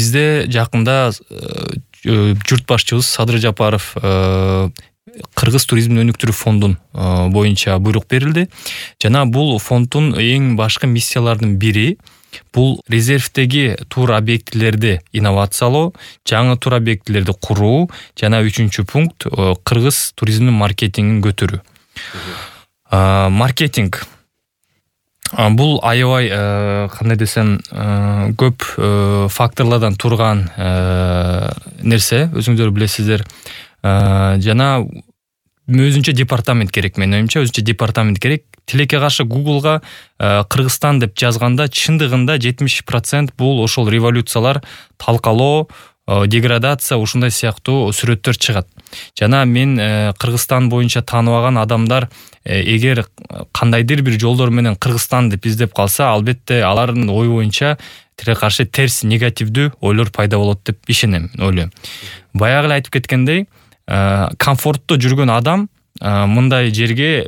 бизде жакында журт башчыбыз Садыр Жапаров Кыргыз туризмин өнүктүрүү фондун боюнча буйрук берилди. Жана бул фонддун эң башкы миссияларынын бири бул резервдеги тур объектилерди инновациялоо, жаңы тур объектилерди куруу жана 3-чү пункт кыргыз туризминин маркетингин көтөрүү. Маркетинг бул аябай кандай десем көп факторлордон турган нерсе, өзүңүздөр билесиздер. Жана өзүнчө департамент керек, менин оюмча өзүнчө департамент керек. Тилекке каршы Google'га Кыргызстан деп жазганда чындыгында 70% бул ошол революциялар, талкалоо, деградация ушундай сыяктуу сүрөттөр чыгат. Жана мен Кыргызстан боюнча тааныбаган адамдар эгер кандайдыр бир жолдор менен Кыргызстан деп издеп калса, албетте алардын ою боюнча тилекке каршы терс негативдүү ойлор пайда болот деп ишенем, ойлойм. Баягы эле айтып кеткендей, комфорттуу жүргөн адам мындай жерге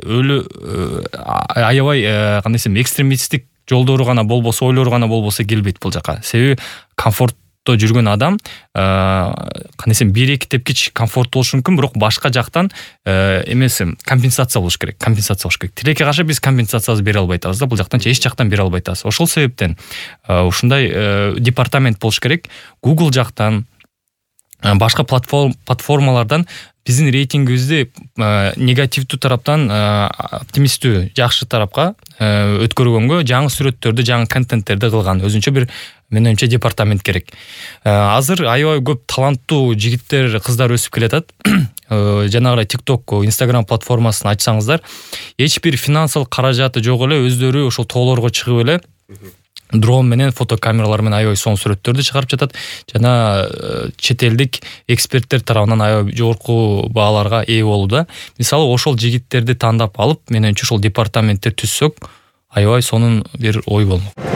аябай кандай десем экстремисттик жолдору гана болбосо, ойлору гана болбосо келбейт бул жака. Себеби комфортто жүргөн адам кандай десем 1-2 тепкич комфорт болушу мүмкүн, бирок башка жактан эмеси компенсация болуш керек. Тилекке каршы биз компенсациябызды бере албай атабыз да, бул жактан эч жактан бере албай атабыз. Ошол себептен ушундай департамент болуш керек. Google жактан башка платформалардан биздин рейтингибизди негативдүү тараптан оптимисттүү, жакшы тарапка өткөргөнгө жаңы сүрөттөрдү, жаңы контенттерди кылган өзүнчө бир менин оюмча департамент керек. Азыр аябай көп таланттуу жигиттер, кыздар өсүп келатат. Жанагы TikTok, Instagram платформасын ачсаңыздар, эч бир финансылык каражаты жок эле өздөрү ошол тоолорго чыгып эле дрон менен, фотокамералар менен аябай сонун сүрөттөрдү чыгарып жатат. Жана чет элдик эксперттер тарабынан аябай жогорку бааларга ээ болууда. Мисалы, ошол жигиттерди тандап алып, менин оюмча ошол департаменттер түзсөк, аябай сонун бир ой болмок.